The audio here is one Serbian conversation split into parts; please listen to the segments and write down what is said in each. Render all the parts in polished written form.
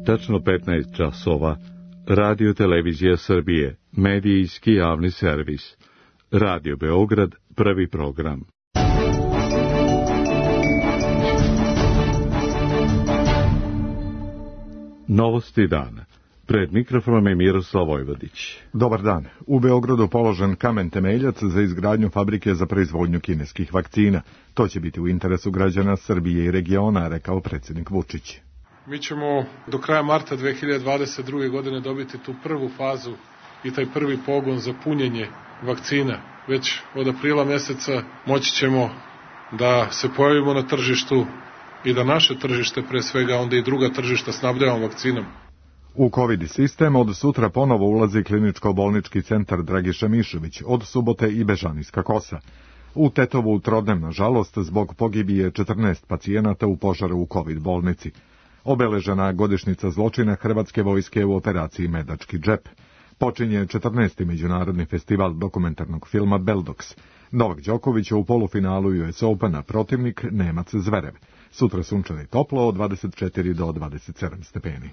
Tačno 15 časova, Radio Televizija Srbije, medijski javni servis. Radio Beograd, prvi program. Novosti dana. Pred mikrofonom je Miroslav Vojvodić. Dobar dan. U Beogradu položen kamen temeljac za izgradnju fabrike za proizvodnju kineskih vakcina. To će biti u interesu građana Srbije i regiona, rekao predsjednik Vučić. Mi ćemo do kraja marta 2022. godine dobiti tu prvu fazu i taj prvi pogon za punjenje vakcina. Već od aprila meseca moći ćemo da se pojavimo na tržištu i da naše tržište, pre svega, onda i druga tržišta snabdevamo vakcinom. U COVID sistem od sutra ponovo ulazi kliničko-bolnički centar Dragiša Mišović, od subote i Bežanijska Kosa. U Tetovu trodnem, nažalost, zbog pogibije 14 pacijenata u požaru u COVID bolnici. Obeležena godišnjica zločina Hrvatske vojske u operaciji Medački džep. Počinje 14. međunarodni festival dokumentarnog filma Beldox. Novak Đoković je u polufinalu US Opena, protivnik Nemac Zverev. Sutra sunčano i toplo od 24 do 27 stepeni.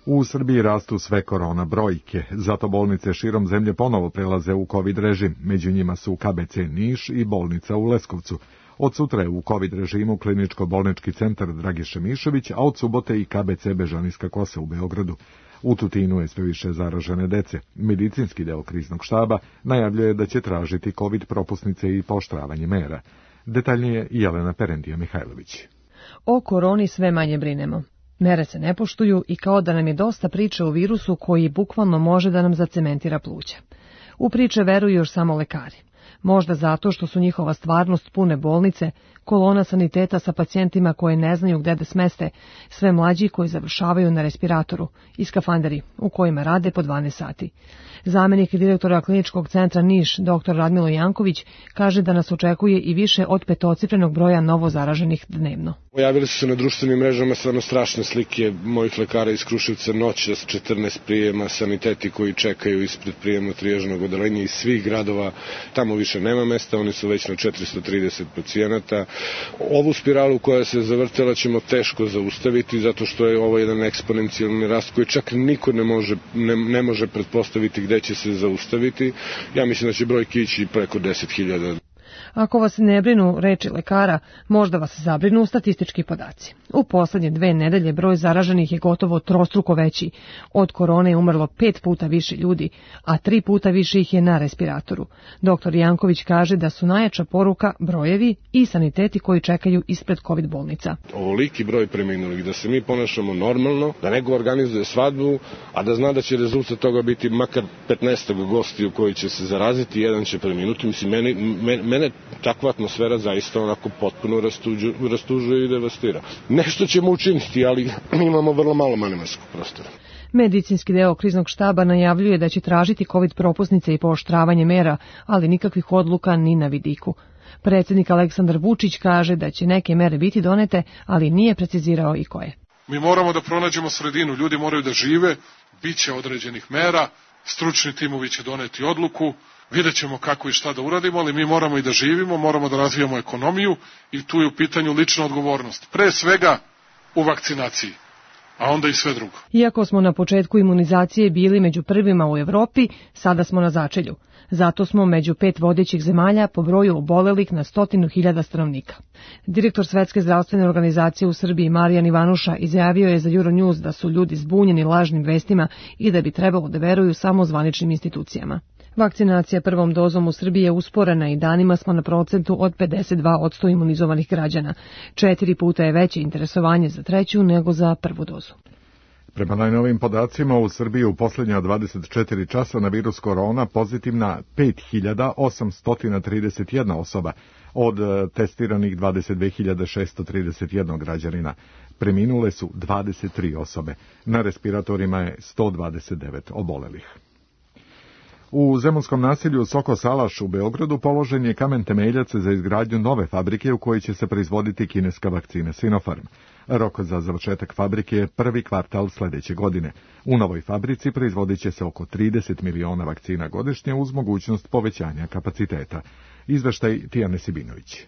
U Srbiji rastu sve korona brojke, zato bolnice širom zemlje ponovo prelaze u COVID režim. Među njima su KBC Niš i bolnica u Leskovcu. Od sutra je u COVID režimu kliničko-bolnički centar Dragiša Mišović, a od subote i KBC Bežanijska Kosa u Beogradu. U Tutinu je sve više zaražene dece. Medicinski deo kriznog štaba najavljuje da će tražiti COVID propusnice i pooštravanje mera. Detaljnije Jelena Perendija-Mihajlović. O koroni sve manje brinemo. Mere se ne poštuju i kao da nam je dosta priče o virusu koji bukvalno može da nam zacementira pluća. U priče veruju još samo lekari. Možda zato što su njihova stvarnost pune bolnice, kolona saniteta sa pacijentima koje ne znaju gde da smeste, sve mlađi koji završavaju na respiratoru i skafanderi u kojima rade po 12 sati. Zamenik direktora kliničkog centra Niš, dr. Radmilo Janković, kaže da nas očekuje i više od petocifrenog broja novo zaraženih dnevno. Pojavili su se na društvenim mrežama stvarno strašne slike mojih lekara iz Kruševca noćas, 14 prijema, saniteti koji čekaju ispred prijemno-trijažnog odeljenja iz svih gradova. Tamo više nema mesta, oni su već na 430 pacijenata. Ovu spiralu koja se zavrtela ćemo teško zaustaviti, zato što je ovo jedan eksponencijalni rast koji čak niko ne može pretpostaviti gde će se zaustaviti. Ja mislim da će brojke ići preko 10.000. Ako vas ne brinu reči lekara, možda vas zabrinu statistički podaci. U poslednje 2 nedelje broj zaraženih je gotovo trostruko veći. Od korone je umrlo 5 puta više ljudi, a 3 puta više ih je na respiratoru. Dr. Janković kaže da su najjača poruka brojevi i saniteti koji čekaju ispred COVID bolnica. Ovoliki broj preminulih, da se mi ponašamo normalno, da neko organizuje svadbu, a da zna da će rezultat toga biti makar 15 gostiju koji će se zaraziti, jedan će preminuti. Mislim, mene takva atmosfera zaista onako potpuno rastužuje i devastira. Nešto ćemo učiniti, ali imamo vrlo malo manevarskog prostora. Medicinski deo kriznog štaba najavljuje da će tražiti COVID propusnice i pooštravanje mera, ali nikakvih odluka ni na vidiku. Predsjednik Aleksandar Vučić kaže da će neke mere biti donete, ali nije precizirao i koje. Mi moramo da pronađemo sredinu, ljudi moraju da žive, bit će određenih mera, stručni timovi će doneti odluku, vidjet ćemo kako i šta da uradimo, ali mi moramo i da živimo, moramo da razvijamo ekonomiju i tu je u pitanju lična odgovornost. Pre svega u vakcinaciji, a onda i sve drugo. Iako smo na početku imunizacije bili među prvima u Evropi, sada smo na začelju. Zato smo među 5 vodećih zemalja po broju obolelih na 100.000 stanovnika. Direktor Svetske zdravstvene organizacije u Srbiji Marijan Ivanuša izjavio je za Euronews da su ljudi zbunjeni lažnim vestima i da bi trebalo da veruju samo zvaničnim institucijama. Vakcinacija prvom dozom u Srbiji je usporena i danima smo na procentu od 52% imunizovanih građana. 4 puta je veće interesovanje za treću nego za prvu dozu. Prema najnovim podacima u Srbiji u posljednja 24 časa na virus korona pozitivna 5.831 osoba, od testiranih 22.631 građanina. Preminule su 23 osobe. Na respiratorima je 129 obolelih. U zemunskom naselju Soko Salaš u Beogradu položen je kamen temeljac za izgradnju nove fabrike u kojoj će se proizvoditi kineska vakcina Sinopharm. Rok za završetak fabrike je prvi kvartal sledeće godine. U novoj fabrici proizvodit će se oko 30 miliona vakcina godišnje uz mogućnost povećanja kapaciteta. Izveštaj Tijane Sibinović.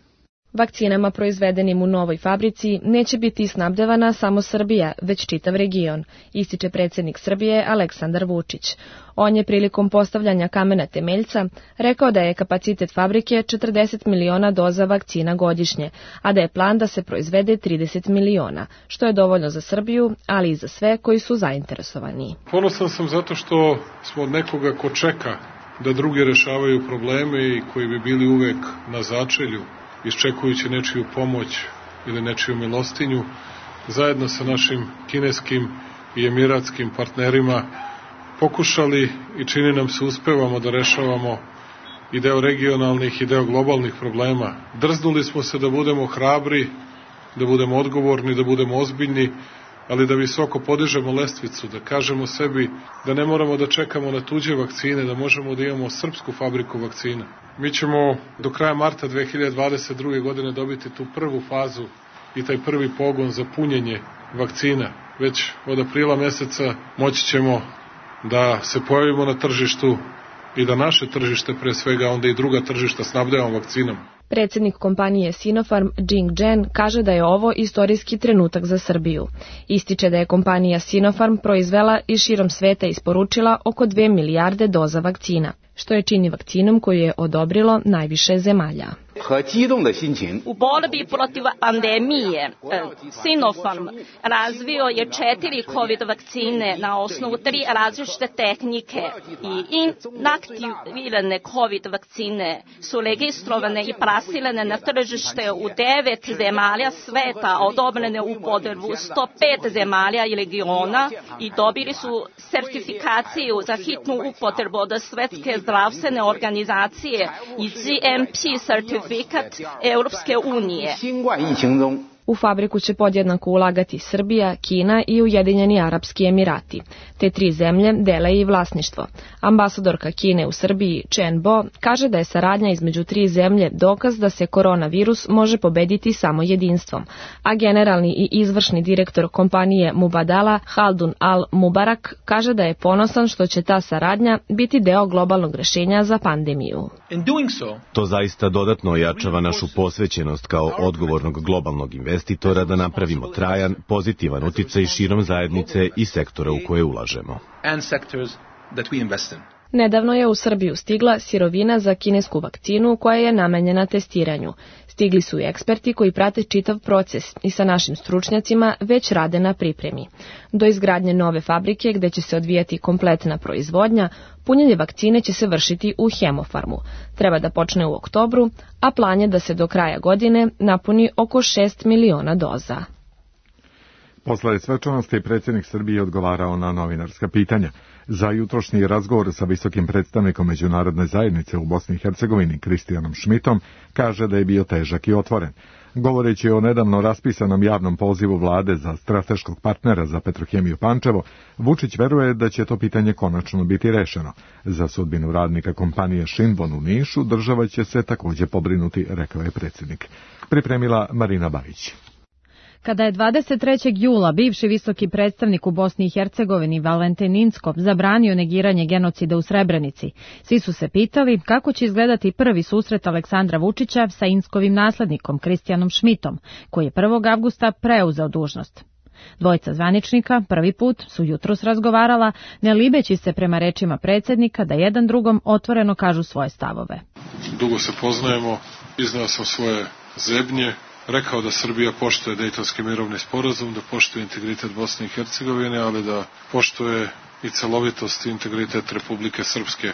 Vakcinama proizvedenim u novoj fabrici neće biti snabdevana samo Srbija, već čitav region, ističe predsjednik Srbije Aleksandar Vučić. On je prilikom postavljanja kamena temeljca rekao da je kapacitet fabrike 40 miliona doza vakcina godišnje, a da je plan da se proizvede 30 miliona, što je dovoljno za Srbiju, ali i za sve koji su zainteresovani. Ponosan sam zato što smo od nekoga ko čeka da drugi rešavaju probleme i koji bi bili uvek na začelju, iščekujući nečiju pomoć ili nečiju milostinju, zajedno sa našim kineskim i emiratskim partnerima pokušali i čini nam se uspevamo da rešavamo i deo regionalnih i deo globalnih problema. Drznuli smo se da budemo hrabri, da budemo odgovorni, da budemo ozbiljni, ali da visoko podižemo lestvicu, da kažemo sebi da ne moramo da čekamo na tuđe vakcine, da možemo da imamo srpsku fabriku vakcina. Mi ćemo do kraja marta 2022. godine dobiti tu prvu fazu i taj prvi pogon za punjenje vakcina. Već od aprila meseca moći ćemo da se pojavimo na tržištu i da naše tržište, pre svega onda i druga tržišta, snabdevamo vakcinom. Predsjednik kompanije Sinopharm Jing Zhen kaže da je ovo istorijski trenutak za Srbiju. Ističe da je kompanija Sinopharm proizvela i širom sveta isporučila oko 2 milijarde doza vakcina, što je čini vakcinom koju je odobrilo najviše zemalja. U borbi protiv pandemije Sinopharm razvio je 4 COVID vakcine na osnovu 3 različite tehnike i inaktivirane COVID vakcine su registrovane i plasirane na tržište u 9 zemalja sveta, odobrene u upotrebu 105 zemalja i regiona i dobili su sertifikaciju za hitnu upotrebu od Svetske zdravstvene organizacije i GMP sertifikat Europske unije. U fabriku će podjednako ulagati Srbija, Kina i Ujedinjeni Arapski Emirati. Te 3 zemlje dele i vlasništvo. Ambasadorka Kine u Srbiji, Chen Bo, kaže da je saradnja između 3 zemlje dokaz da se koronavirus može pobediti samo jedinstvom, a generalni i izvršni direktor kompanije Mubadala, Haldun Al-Mubarak, kaže da je ponosan što će ta saradnja biti deo globalnog rešenja za pandemiju. To zaista dodatno ojačava našu posvećenost kao odgovornog globalnog investitora da napravimo trajan, pozitivan uticaj širom zajednice i sektora u koje ulažemo. Nedavno je u Srbiju stigla sirovina za kinesku vakcinu koja je namenjena testiranju. Stigli su i eksperti koji prate čitav proces i sa našim stručnjacima već rade na pripremi. Do izgradnje nove fabrike gde će se odvijati kompletna proizvodnja, punjenje vakcine će se vršiti u Hemofarmu. Treba da počne u oktobru, a plan je da se do kraja godine napuni oko 6 miliona doza. Posle svečanosti predsjednik Srbije odgovarao na novinarska pitanja. Za jutrošnji razgovor sa visokim predstavnikom međunarodne zajednice u Bosni i Hercegovini Kristijanom Šmitom kaže da je bio težak i otvoren. Govoreći o nedavno raspisanom javnom pozivu vlade za strateškog partnera za Petrohemiju Pančevo, Vučić veruje da će to pitanje konačno biti rešeno. Za sudbinu radnika kompanije Šinvon u Nišu država će se također pobrinuti, rekao je predsjednik. Pripremila Marina Bajić. Kada je 23. jula bivši visoki predstavnik u Bosni i Hercegovini Valentin Incko zabranio negiranje genocida u Srebrenici, svi su se pitali kako će izgledati prvi susret Aleksandra Vučića sa Inckovim naslednikom Kristijanom Šmitom, koji je 1. avgusta preuzeo dužnost. Dvojica zvaničnika prvi put su jutros razgovarala, ne libeći se prema rečima predsjednika da jedan drugom otvoreno kažu svoje stavove. Dugo se poznajemo, iznao sam svoje zebnje, rekao da Srbija poštuje Dejtonski mirovni sporazum, da poštuje integritet Bosne i Hercegovine, ali da poštuje i celovitost i integritet Republike Srpske.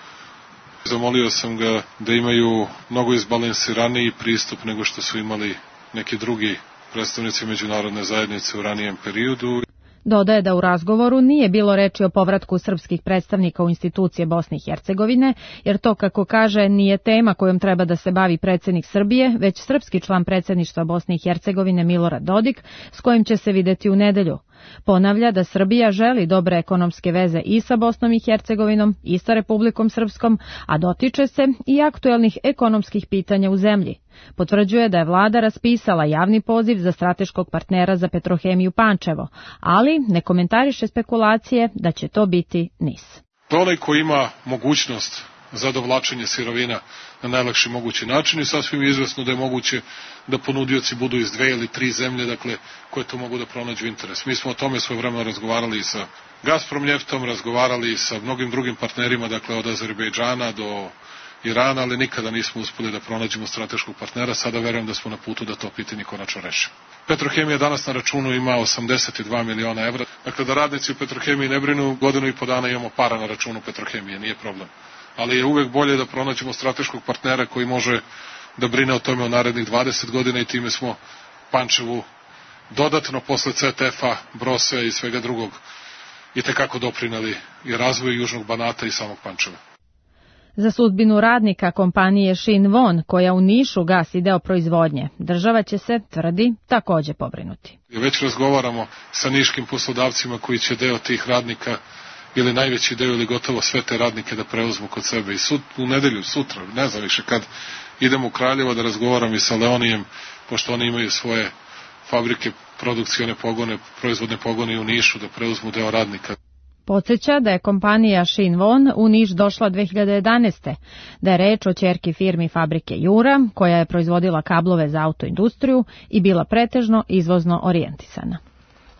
Zamolio sam ga da imaju mnogo izbalansiraniji pristup nego što su imali neki drugi predstavnici međunarodne zajednice u ranijem periodu. Dodaje da u razgovoru nije bilo reči o povratku srpskih predstavnika u institucije Bosne i Hercegovine, jer to, kako kaže, nije tema kojom treba da se bavi predsjednik Srbije, već srpski član predsjedništva Bosne i Hercegovine Milorad Dodik, s kojim će se videti u nedelju. Ponavlja da Srbija želi dobre ekonomske veze i sa Bosnom i Hercegovinom i sa Republikom Srpskom, a dotiče se i aktuelnih ekonomskih pitanja u zemlji. Potvrđuje da je vlada raspisala javni poziv za strateškog partnera za Petrohemiju Pančevo, ali ne komentariše spekulacije da će to biti NIS. Onaj ko ima mogućnost za dovlačenje sirovina na najlakši mogući način i sasvim je izvesno da je moguće da ponudioci budu iz 2 ili 3 zemlje, dakle, koje to mogu da pronađu interes. Mi smo o tome svojevremeno razgovarali i sa Gazprom Njeftom, razgovarali i sa mnogim drugim partnerima, dakle, od Azerbejdžana do Irana, ali nikada nismo uspeli da pronađemo strateškog partnera. Sada verujem da smo na putu da to pitanje konačno rešimo. Petrohemija danas na računu ima 82 miliona evra. Dakle, da radnici u Petrohemiji ne brinu, godinu i po dana imamo para na računu Petrohemije, nije problem. Ali je uvek bolje da pronađemo strateškog partnera koji može da brine o tome u narednih 20 godina i time smo Pančevu dodatno posle CTF-a, Brose i svega drugog i tekako doprineli i razvoju Južnog Banata i samog Pančeva. Za sudbinu radnika kompanije Shinwon, koja u Nišu gasi deo proizvodnje, država će se, tvrdi, takođe pobrinuti. Već razgovaramo sa niškim poslodavcima koji će deo tih radnika ili najveći deo ili gotovo sve te radnike da preuzmu kod sebe. I u nedelju, sutra, ne znam više kad, idem u Kraljevo da razgovaram i sa Leonijem, pošto oni imaju svoje fabrike, produkcione pogone, proizvodne pogone u Nišu, da preuzmu deo radnika. Podsjeća da je kompanija Shinwon u Niš došla 2011. Da je reč o ćerki firmi fabrike Jura, koja je proizvodila kablove za autoindustriju i bila pretežno izvozno orijentisana.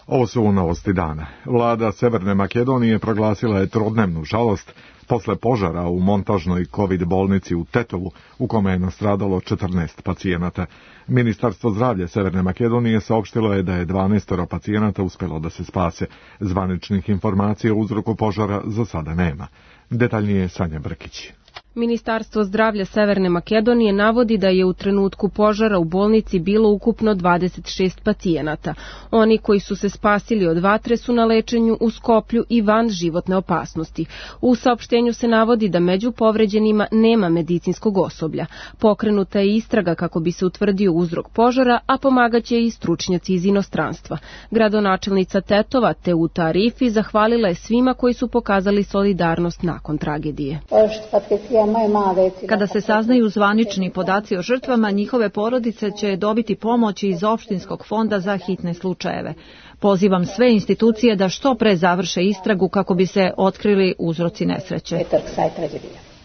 Ovo su novosti dana. Vlada Severne Makedonije proglasila je trodnevnu žalost posle požara u montažnoj COVID bolnici u Tetovu, u kome je nastradalo 14 pacijenata. Ministarstvo zdravlja Severne Makedonije saopštilo je da je 12 pacijenata uspelo da se spase. Zvaničnih informacija o uzroku požara za sada nema. Detaljnije Sanja Brkić. Ministarstvo zdravlja Severne Makedonije navodi da je u trenutku požara u bolnici bilo ukupno 26 pacijenata. Oni koji su se spasili od vatre su na lečenju u Skoplju i van životne opasnosti. U saopštenju se navodi da među povređenima nema medicinskog osoblja. Pokrenuta je istraga kako bi se utvrdio uzrok požara, a pomagaće i stručnjaci iz inostranstva. Gradonačelnica Tetova Teuta Arifi zahvalila je svima koji su pokazali solidarnost nakon tragedije. Kada se saznaju zvanični podaci o žrtvama, njihove porodice će dobiti pomoć iz opštinskog fonda za hitne slučajeve. Pozivam sve institucije da što pre završe istragu kako bi se otkrili uzroci nesreće.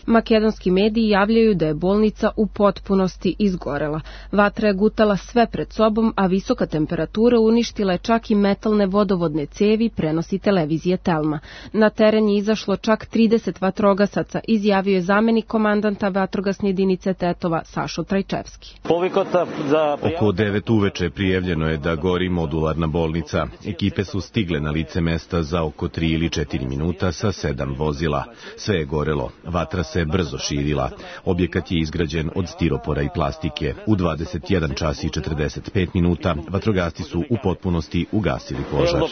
Makedonski mediji javljaju da je bolnica u potpunosti izgorela. Vatra je gutala sve pred sobom, a visoka temperatura uništila je čak i metalne vodovodne cevi, prenosi televizije Telma. Na teren je izašlo čak 30 vatrogasaca, izjavio je zamenik komandanta vatrogasne jedinice Tetova Sašo Trajčevski. Oko 9 uveče prijavljeno je da gori modularna bolnica. Ekipe su stigle na lice mesta za oko 3 ili 4 minuta sa 7 vozila. Sve je gorelo. Vatra se brzo širila. Objekat je izgrađen od stiropora i plastike. U 21 čas i 45 minuta vatrogasci su u potpunosti ugasili požar.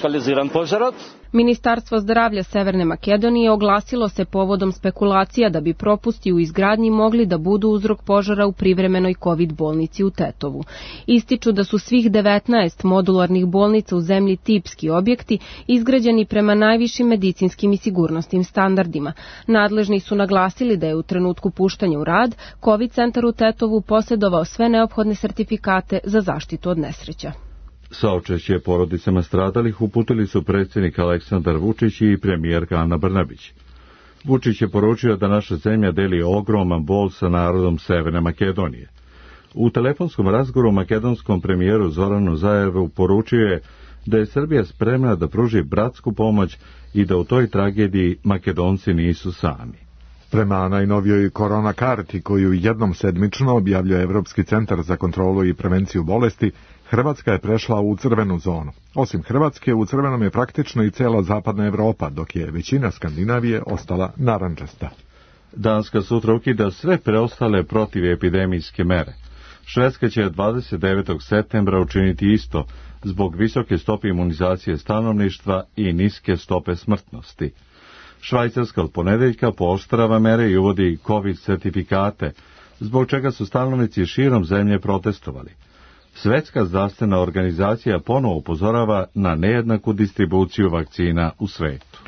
Ministarstvo zdravlja Severne Makedonije oglasilo se povodom spekulacija da bi propusti u izgradnji mogli da budu uzrok požara u privremenoj COVID bolnici u Tetovu. Ističu da su svih 19 modularnih bolnica u zemlji tipski objekti izgrađeni prema najvišim medicinskim i sigurnosnim standardima. Nadležni su naglasili da je u trenutku puštanja u rad COVID centar u Tetovu posjedovao sve neophodne sertifikate za zaštitu od nesreća. Saučešće porodicama stradalih uputili su predsjednik Aleksandar Vučić i premijerka Ana Brnabić. Vučić je poručio da naša zemlja deli ogroman bol sa narodom Severne Makedonije. U telefonskom razgovoru makedonskom premijeru Zoranu Zaevu poručio je da je Srbija spremna da pruži bratsku pomoć i da u toj tragediji Makedonci nisu sami. Prema najnovijoj korona karti koju jednom sedmično objavljuje Evropski centar za kontrolu i prevenciju bolesti, Hrvatska je prešla u crvenu zonu. Osim Hrvatske, u crvenom je praktično i cela zapadna Evropa, dok je većina Skandinavije ostala narandžasta. Danska sutra ukida sve preostale protivepidemijske mere. Švedska će 29. septembra učiniti isto zbog visoke stope imunizacije stanovništva i niske stope smrtnosti. Švajcarska od ponedeljka pooštrava mere i uvodi COVID certifikate, zbog čega su stanovnici širom zemlje protestovali. Svetska zdravstvena organizacija ponovo upozorava na nejednaku distribuciju vakcina u svetu.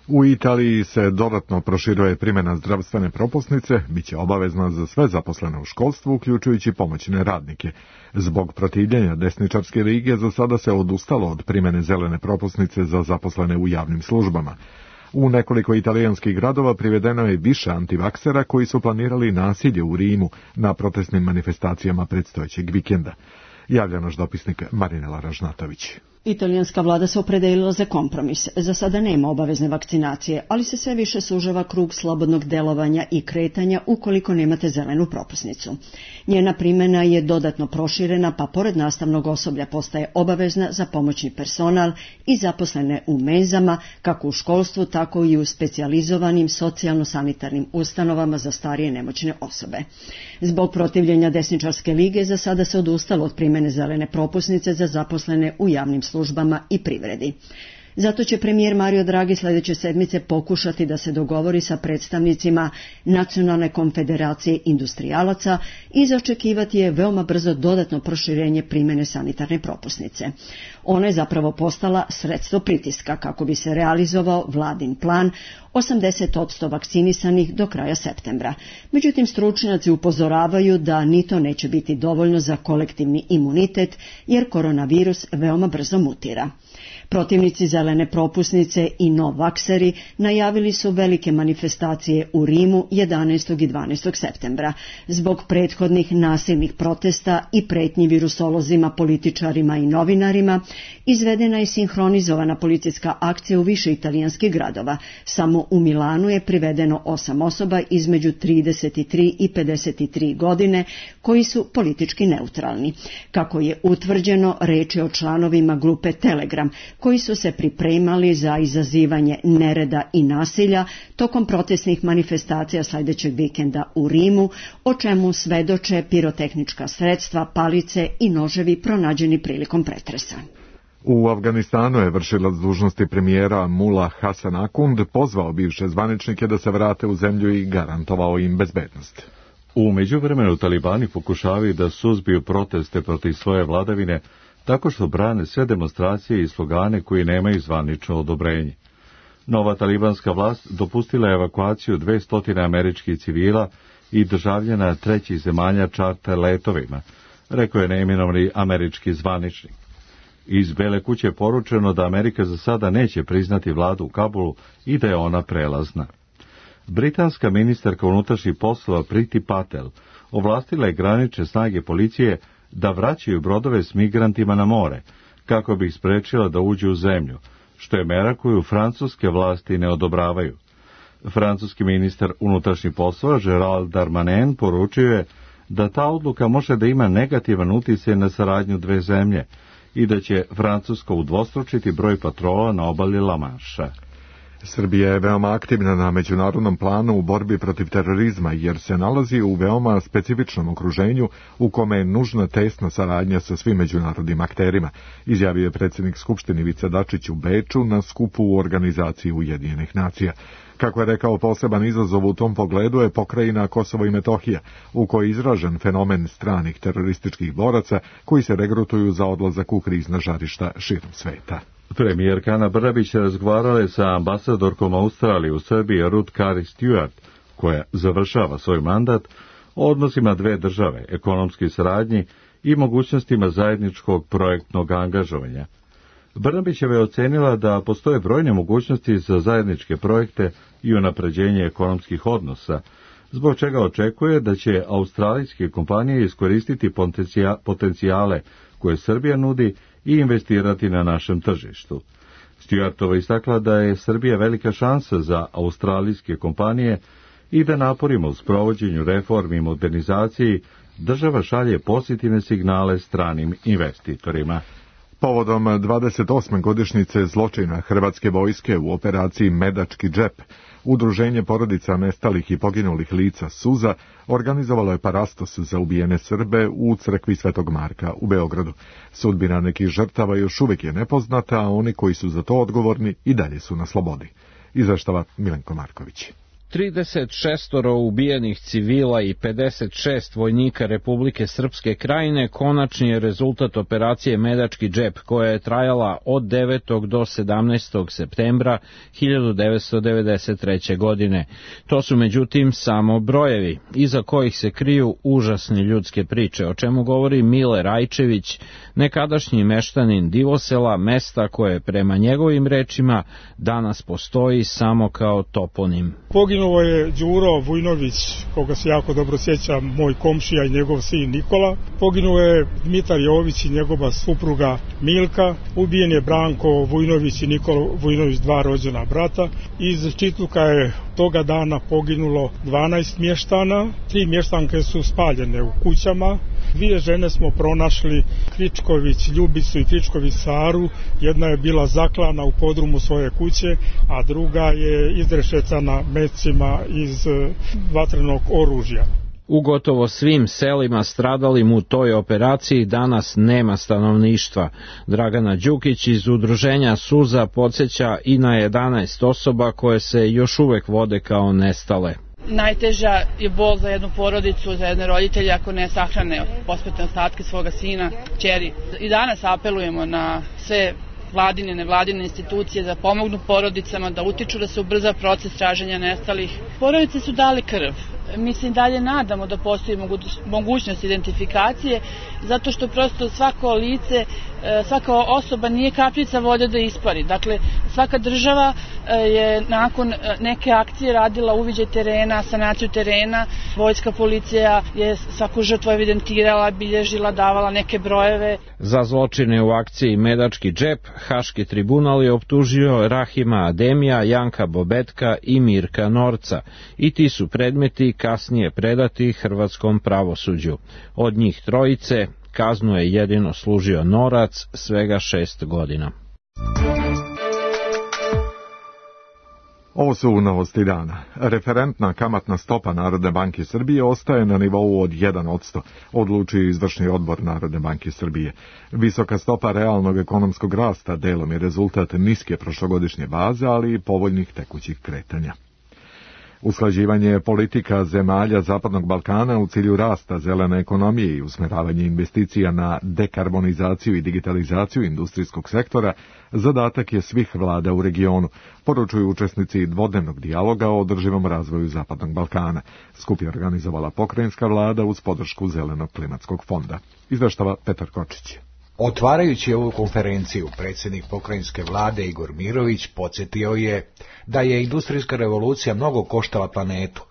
U Italiji se dodatno proširuje primjena zdravstvene propusnice, bit će obavezna za sve zaposlene u školstvu, uključujući pomoćne radnike. Zbog protivljenja desničarske lige za sada se odustalo od primjene zelene propusnice za zaposlene u javnim službama. U nekoliko italijanskih gradova privedeno je više antivaksera koji su planirali nasilje u Rimu na protestnim manifestacijama predstojećeg vikenda. Javlja naš dopisnik Marinela Ražnatović. Italijanska vlada se opredelila za kompromis. Za sada nema obavezne vakcinacije, ali se sve više sužava krug slobodnog delovanja i kretanja ukoliko nemate zelenu propusnicu. Njena primjena je dodatno proširena, pa pored nastavnog osoblja postaje obavezna za pomoćni personal i zaposlene u menzama, kako u školstvu, tako i u specijalizovanim socijalno-sanitarnim ustanovama za starije nemoćne osobe. Zbog protivljenja desničarske lige za sada se odustalo od primjene zelene propusnice za zaposlene u javnim službama i privredi. Zato će premijer Mario Draghi sljedeće sedmice pokušati da se dogovori sa predstavnicima Nacionalne konfederacije industrijalaca i zaočekivati je veoma brzo dodatno proširenje primjene sanitarne propusnice. Ona je zapravo postala sredstvo pritiska kako bi se realizovao vladin plan 80% vakcinisanih do kraja septembra. Međutim, stručnjaci upozoravaju da ni to neće biti dovoljno za kolektivni imunitet jer koronavirus veoma brzo mutira. Protivnici zelene propusnice i novakseri najavili su velike manifestacije u Rimu 11. i 12. septembra. Zbog prethodnih nasilnih protesta i pretnji virusolozima, političarima i novinarima, izvedena je sinhronizovana policijska akcija u više italijanskih gradova. Samo u Milanu je privedeno 8 osoba između 33 i 53 godine koji su politički neutralni. Kako je utvrđeno, reč je o članovima grupe Telegram, koji su se pripremali za izazivanje nereda i nasilja tokom protestnih manifestacija sljedećeg vikenda u Rimu, o čemu svedoče pirotehnička sredstva, palice i noževi pronađeni prilikom pretresa. U Afganistanu je vršilac dužnosti premijera Mullah Hasan Akund pozvao bivše zvaničnike da se vrate u zemlju i garantovao im bezbednost. U međuvremenu talibani pokušavaju da suzbiju proteste protiv svoje vladavine tako što brane sve demonstracije i slogane koji nemaju zvanično odobrenje. Nova talibanska vlast dopustila je evakuaciju 200 američkih civila i državljana trećih zemalja čarter letovima, rekao je neimenovani američki zvaničnik. Iz Bele kuće je poručeno da Amerika za sada neće priznati vladu u Kabulu i da je ona prelazna. Britanska ministarka unutrašnjih poslova Priti Patel ovlastila je granične snage policije da vraćaju brodove s migrantima na more, kako bi ih sprečila da uđu u zemlju, što je mera koju francuske vlasti ne odobravaju. Francuski ministar unutrašnjih poslova Gérald Darmanin poručio je da ta odluka može da ima negativan utjecaj na saradnju dve zemlje i da će Francuska udvostručiti broj patrola na obali La Manša. Srbija je veoma aktivna na međunarodnom planu u borbi protiv terorizma jer se nalazi u veoma specifičnom okruženju u kome je nužna tesna saradnja sa svim međunarodnim akterima, izjavio je predsjednik Skupštine Ivica Dačić u Beču na skupu u organizaciji Ujedinjenih nacija. Kako je rekao, poseban izazov u tom pogledu je pokrajina Kosovo i Metohija, u kojoj je izražen fenomen stranih terorističkih boraca koji se regrutuju za odlazak u krizna žarišta širom sveta. Premijerka Ana Brnabić razgovarala je sa ambasadorkom Australije u Srbiji Ruth Carey Stewart, koja završava svoj mandat, o odnosima dve države, ekonomskoj saradnji i mogućnostima zajedničkog projektnog angažovanja. Brnabićeva je ocenila da postoje brojne mogućnosti za zajedničke projekte i unapređenje ekonomskih odnosa, zbog čega očekuje da će australijske kompanije iskoristiti potencijale koje Srbija nudi i investirati na našem tržištu. Stewartova istakla da je Srbija velika šansa za australijske kompanije i da naporima u sprovođenju reformi i modernizaciji država šalje pozitivne signale stranim investitorima. Povodom 28. godišnjice zločina Hrvatske vojske u operaciji Medački džep, Udruženje porodica nestalih i poginulih lica Suza organizovalo je parastos za ubijene Srbe u crkvi Svetog Marka u Beogradu. Sudbina nekih žrtava još uvijek je nepoznata, a oni koji su za to odgovorni i dalje su na slobodi. Izveštava Milenko Marković. 36 ubijenih civila i 56 vojnika Republike Srpske Krajine konačni je rezultat operacije Medački džep, koja je trajala od 9. do 17. septembra 1993. godine. To su međutim samo brojevi, iza kojih se kriju užasne ljudske priče, o čemu govori Mile Rajčević, nekadašnji meštanin Divosela, mesta koje prema njegovim rečima danas postoji samo kao toponim. Poginuo je Đuro Vujnović, koga se jako dobro sjeća, moj komšija i njegov sin Nikola. Poginuo je Dmitar Jović i njegova supruga Milka. Ubijen je Branko Vujnović i Nikola Vujnović, 2 rođena brata. Iz Čitluka je toga dana poginulo 12 mještana. 3 mještanke su spaljene u kućama. 2 žene smo pronašli, Kričković Ljubicu i Kričković Saru. Jedna je bila zaklana u podrumu svoje kuće, a druga je izrešecana mecima iz vatrenog oružja. U gotovo svim selima stradalim u toj operaciji danas nema stanovništva. Dragana Đukić iz udruženja Suza podsjeća i na 11 osoba koje se još uvek vode kao nestale. Najteža je bol za jednu porodicu, za jedne roditelje ako ne sahrane posmrtne ostatke svoga sina, kćeri. I danas apelujemo na sve vladine, nevladine institucije da pomognu porodicama, da utiču da se ubrza proces traženja nestalih. Porodice su dali krv. Mi se i dalje nadamo da postoji mogućnost identifikacije, zato što prosto svako lice, svaka osoba nije kapljica vode da ispari. Dakle, svaka država je nakon neke akcije radila uviđaj terena, sanaciju terena. Vojska, policija je svaku žrtvu evidentirala, bilježila, davala neke brojeve. Za zločine u akciji Medački džep Haški tribunal je optužio Rahima Ademija, Janka Bobetka i Mirka Norca, i ti su predmeti kasnije predati hrvatskom pravosuđu. Od njih trojice kaznu je jedino služio Norac, svega 6 godina. Ovo su novosti dana. Referentna kamatna stopa Narodne banke Srbije ostaje na nivou od 1%, odlučio izvršni odbor Narodne banke Srbije. Visoka stopa realnog ekonomskog rasta delom je rezultat niske prošlogodišnje baze, ali i povoljnih tekućih kretanja. Usklađivanje politika zemalja Zapadnog Balkana u cilju rasta zelene ekonomije i usmeravanje investicija na dekarbonizaciju i digitalizaciju industrijskog sektora zadatak je svih vlada u regionu, poručuju učesnici dvodnevnog dijaloga o održivom razvoju Zapadnog Balkana. Skup je organizovala pokrajinska vlada uz podršku Zelenog klimatskog fonda. Izveštava Petar Kočić. Otvarajući ovu konferenciju, predsjednik pokrajinske vlade Igor Mirović podsjetio je da je industrijska revolucija mnogo koštala planetu,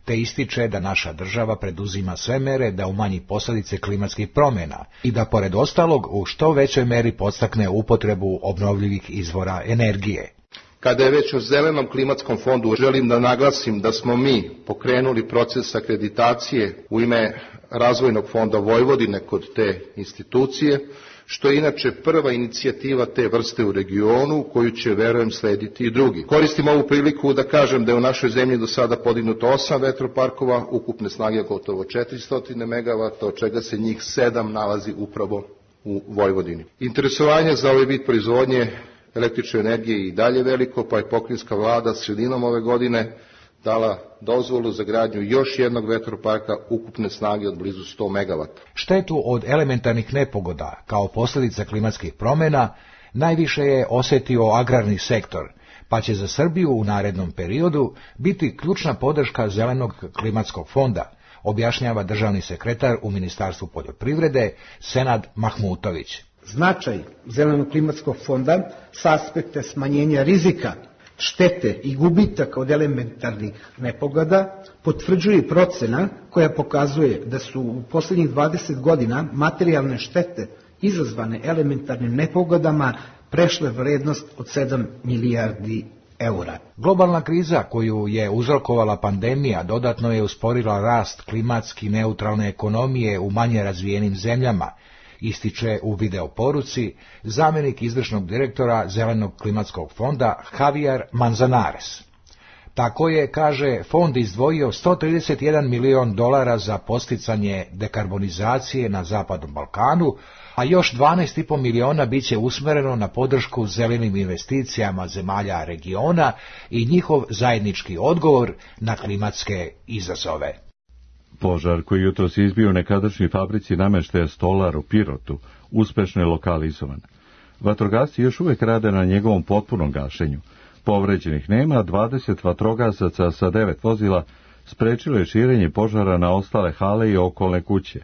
te ističe da naša država preduzima sve mere da umanji posljedice klimatskih promjena i da pored ostalog u što većoj meri podstakne upotrebu obnovljivih izvora energije. Kada je već o Zelenom klimatskom fondu, želim da naglasim da smo mi pokrenuli proces akreditacije u ime Razvojnog fonda Vojvodine kod te institucije, što je inače prva inicijativa te vrste u regionu, koju će, verujem, slediti i drugi. Koristim ovu priliku da kažem da je u našoj zemlji do sada podignuto 8 vetroparkova, ukupne snage gotovo 400 MW, od čega se njih 7 nalazi upravo u Vojvodini. Interesovanje za ovaj vid proizvodnje električne energije i dalje veliko, pa je pokrajinska vlada sredinom ove godine dala dozvolu za gradnju još jednog vetroparka ukupne snage od blizu 100 MW. Štetu od elementarnih nepogoda kao posljedica klimatskih promjena najviše je osjetio agrarni sektor, pa će za Srbiju u narednom periodu biti ključna podrška Zelenog klimatskog fonda, objašnjava državni sekretar u Ministarstvu poljoprivrede Senad Mahmutović. Značaj Zelenog klimatskog fonda s aspekta smanjenja rizika, štete i gubitaka od elementarnih nepogoda potvrđuje procena koja pokazuje da su u posljednjih 20 godina materijalne štete izazvane elementarnim nepogodama prešle vrednost od 7 milijardi eura. Globalna kriza koju je uzrokovala pandemija dodatno je usporila rast klimatski neutralne ekonomije u manje razvijenim zemljama, ističe u videoporuci zamjenik izvršnog direktora Zelenog klimatskog fonda Javier Manzanares. Tako je, kaže, fond izdvojio $131 milion za posticanje dekarbonizacije na Zapadnom Balkanu, a još 12,5 miliona biće usmereno na podršku zelenim investicijama zemalja regiona i njihov zajednički odgovor na klimatske izazove. Požar koji jutros izbio u nekadašnjoj fabrici namještaja Stolar u Pirotu uspešno je lokalizovan. Vatrogasci još uvijek rade na njegovom potpunom gašenju. Povređenih nema, 20 vatrogasaca sa 9 vozila sprečilo je širenje požara na ostale hale i okolne kuće.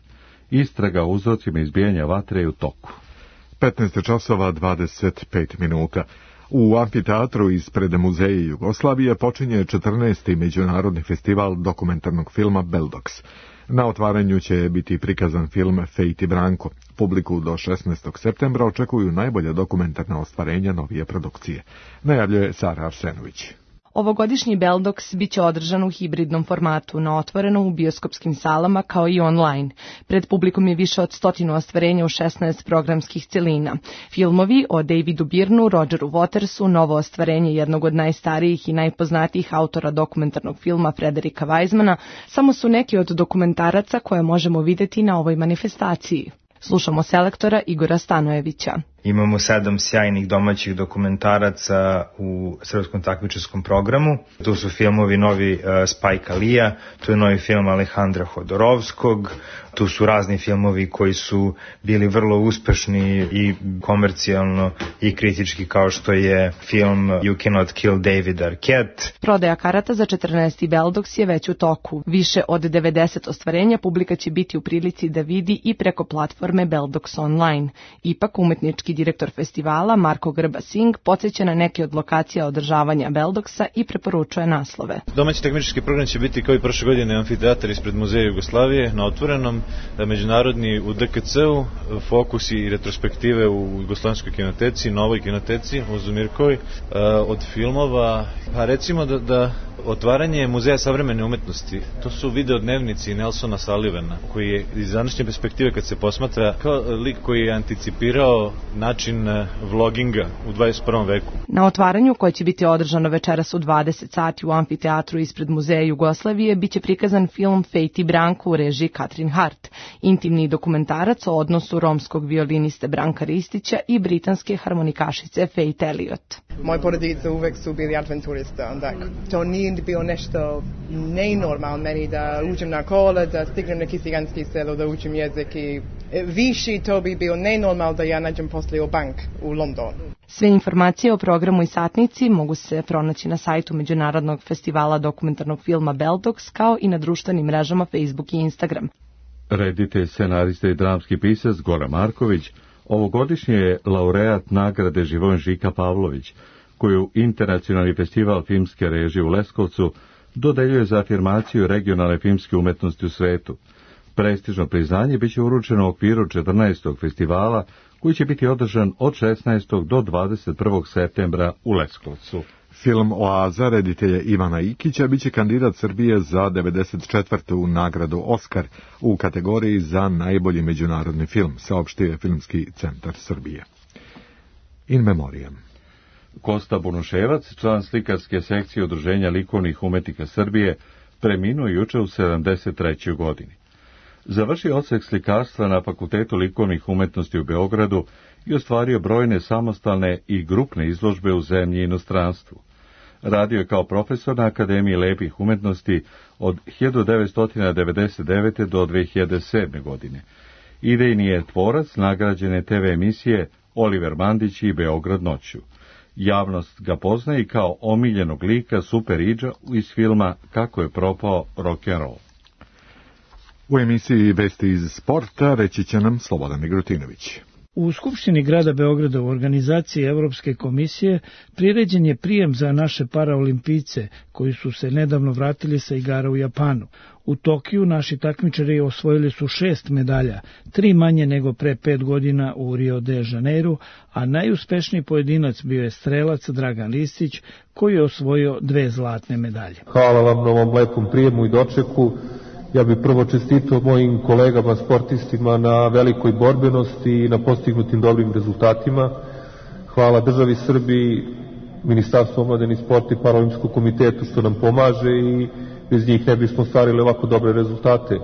Istraga o uzrocima izbijanja vatre je u toku. 15:25. U amfiteatru ispred Muzeja Jugoslavije počinje 14. međunarodni festival dokumentarnog filma Beldox. Na otvaranju će biti prikazan film Fejt i Branko. Publiku do 16. septembra očekuju najbolja dokumentarna ostvarenja novije produkcije. Najavljuje Sara Arsenović. Ovogodišnji Beldox biće održan u hibridnom formatu, na otvoreno u bioskopskim salama kao i online. Pred publikom je više od 100 ostvarenja u 16 programskih celina. Filmovi o Davidu Byrnu, Rogeru Watersu, novo ostvarenje jednog od najstarijih i najpoznatijih autora dokumentarnog filma Frederika Weizmana, samo su neki od dokumentaraca koje možemo vidjeti na ovoj manifestaciji. Slušamo selektora Igora Stanojevića. Imamo 7 sjajnih domaćih dokumentaraca u srpskom takmičarskom programu. Tu su filmovi novi Spajka Lija, tu je novi film Alejandra Hodorovskog, tu su razni filmovi koji su bili vrlo uspešni i komercijalno i kritički, kao što je film You Cannot Kill David Arquette. Prodaja karata za 14. Beldox je već u toku. Više od 90 ostvarenja publika će biti u prilici da vidi i preko platforme Beldox Online. Ipak umetnički direktor festivala Marko Grba-Singh podsjeća na neke od lokacija održavanja Beldoxa i preporučuje naslove. Domaći takmičarski program će biti kao i prošle godine amfiteatar ispred Muzeja Jugoslavije na otvorenom, međunarodni u DKC-u, fokus i retrospektive u Jugoslovenskoj kinoteci, novoj kinoteci u Zumirkovoj, od filmova, pa recimo da otvaranje Muzeja savremene umetnosti, to su videodnevnici Nelsona Sullivana, koji je iz današnje perspektive kad se posmatra kao lik koji je anticipirao način vloginga u 21. veku. Na otvaranju, koje će biti održano večeras u 20 sati u amfiteatru ispred Muzeja Jugoslavije, biće prikazan film Fejt i Branko u režiji Katrin Hart, intimni dokumentarac o odnosu romskog violiniste Branka Ristića i britanske harmonikašice Faith Elliott. Moje porodice uvek su bili adventuriste, onda to nije bilo nešto nenormal meni da uđem na kola, da stignem neki ciganski selo, da učim jezik i viši to bi bilo nenormal da ja nađem poslije u bank u Londonu. Sve informacije o programu i satnici mogu se pronaći na sajtu Međunarodnog festivala dokumentarnog filma Beldox, kao i na društvenim mrežama Facebook i Instagram. Reditelj, scenarista i dramski pisac Goran Marković ovogodišnji je laureat nagrade Živojin Žika Pavlović, koju Internacionalni festival filmske režije u Leskovcu dodeljuje za afirmaciju regionalne filmske umetnosti u svetu. Prestižno priznanje biće uručeno u okviru 14. festivala, koji će biti održan od 16. do 21. septembra u Leskovcu. Film Oaza reditelja Ivana Ikića biće kandidat Srbije za 94. nagradu Oskar u kategoriji za najbolji međunarodni film, saopštio Filmski centar Srbije. In memoriam. Kosta Bunuševac, član slikarske sekcije Udruženja likovnih umetnika Srbije, preminuo juče u 73. godini. Završio odsek slikarstva na Fakultetu likovnih umetnosti u Beogradu i ostvario brojne samostalne i grupne izložbe u zemlji i inostranstvu. Radio je kao profesor na Akademiji lepih umetnosti od 1999. do 2007. godine. Idejni je tvorac nagrađene TV emisije Oliver Mandić i Beograd noću. Javnost ga poznaje i kao omiljenog lika Super Idža iz filma Kako je propao rock'n'roll. U emisiji Vesti iz sporta reći će nam Slobodan Migrutinović. U Skupštini grada Beograda u organizaciji Evropske komisije priređen je prijem za naše paraolimpijce koji su se nedavno vratili sa igara u Japanu. U Tokiju naši takmičari osvojili su 6 medalja, 3 manje nego pre 5 godina u Rio de Janeiru, a najuspešniji pojedinac bio je strelac Dragan Listić koji je osvojio 2 zlatne medalje. Hvala vam na ovom lepom prijemu i dočeku. Ja bih prvo čestitao mojim kolegama sportistima na velikoj borbenosti i na postignutim dobrim rezultatima. Hvala državi Srbiji Ministarstvo omladine i sporta i Paraolimpijskom komitetu što nam pomaže i bez njih ne bismo ostvarili ovako dobre rezultate.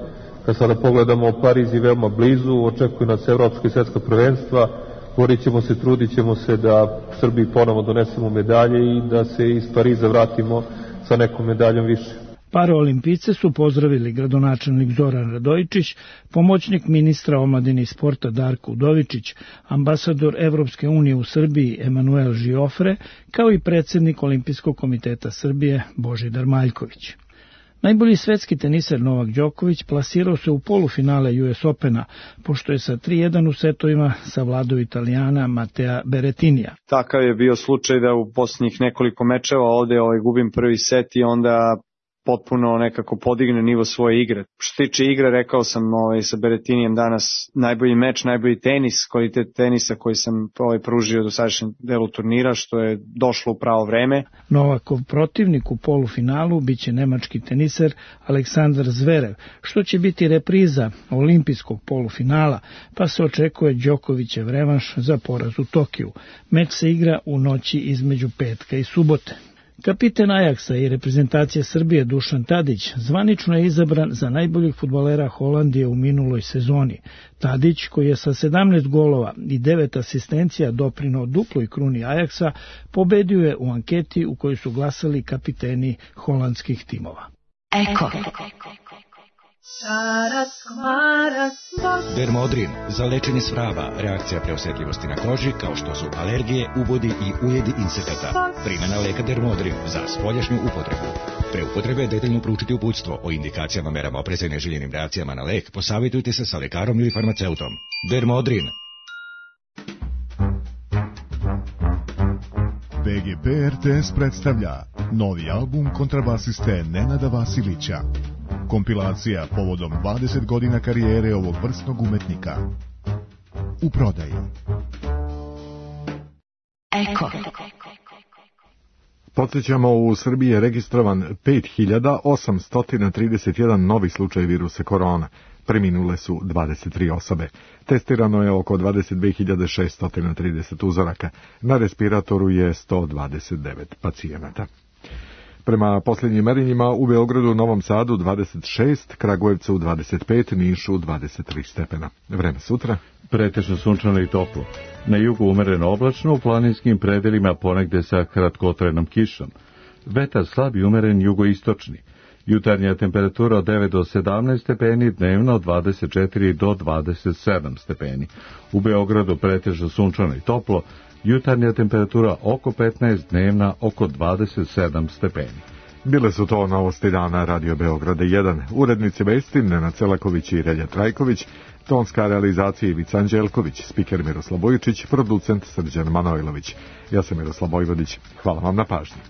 Kad sada pogledamo, Pariz je veoma blizu, očekuju nas evropska i svetska prvenstva, borit ćemo se, trudit ćemo se da Srbiji ponovo donesemo medalje i da se iz Pariza vratimo sa nekom medaljom više. Paraolimpijice su pozdravili gradonačelnik Zoran Radojičić, pomoćnik ministra omladine i sporta Darko Udovičić, ambasador Evropske unije u Srbiji Emanuel Žiofre, kao i predsjednik Olimpijskog komiteta Srbije Božidar Maljković. Najbolji svetski teniser Novak Đoković plasirao se u polufinale US Opena, pošto je sa 3-1 u setovima savladao Italijana Matea Berettinija. Takav je bio slučaj da u posljednjih nekoliko mečeva ovde gubim prvi set i onda potpuno nekako podigne nivo svoje igre. Što tiče igre, rekao sam sa Berettinijem danas najbolji meč, najbolji tenis, kvalitet tenisa koji sam pružio do sadašnjem delu turnira, što je došlo u pravo vreme. Novakov protivnik u polufinalu biće nemački teniser Aleksandar Zverev, što će biti repriza olimpijskog polufinala, pa se očekuje Đokovićev revanš za poraz u Tokiju. Meč se igra u noći između petka i subote. Kapiten Ajaksa i reprezentacije Srbije Dušan Tadić zvanično je izabran za najboljeg fudbalera Holandije u minuloj sezoni. Tadić, koji je sa 17 golova i 9 asistencija doprineo duploj kruni Ajaksa, pobedio je u anketi u kojoj su glasali kapiteni holandskih timova. Eko. Dermodrin za lečenje svrava, reakcija preosetljivosti na koži kao što su alergije, ubodi i ujedi insekata. Primjena leka Dermodrin za spoljašnju upotrebu. Pre upotrebe detaljno proučiti uputstvo o indikacijama, merama opreza i neželjenim reakcijama na lek. Posavitujte se sa lekarom ili farmaceutom. Dermodrin. BGP RTS predstavlja novi album kontrabasiste Nenada Vasilića. Kompilacija povodom 20 godina karijere ovog vrsnog umetnika. U prodaji. Eko. Podsjećamo, u Srbiji je registrovan 5831 novi slučaj virusa korona. Preminule su 23 osobe. Testirano je oko 22.630 uzoraka. Na respiratoru je 129 pacijenata. Prema posljednjim merenjima u Beogradu, Novom Sadu 26, Kragujevcu 25, Nišu 23 stepena. Vreme sutra? Pretežno sunčano i toplo. Na jugu umereno oblačno, u planinskim predelima ponegde sa kratkotrajnom kišom. Vetar slab i umeren jugoistočni. Jutarnja temperatura od 9 do 17 stepeni, dnevno od 24 do 27 stepeni. U Beogradu pretežno sunčano i toplo, jutarnja temperatura oko 15, dnevna oko 27 stepeni. Bile su to novosti dana Radio Beograda 1. Urednici vesti Nenad Celaković i Relja Trajković, tonska realizacija Ivica Anđelković, spiker Miroslav Bojičić, producent Srđan Manojlović. Ja sam Miroslav Vojvodić. Hvala vam na pažnji.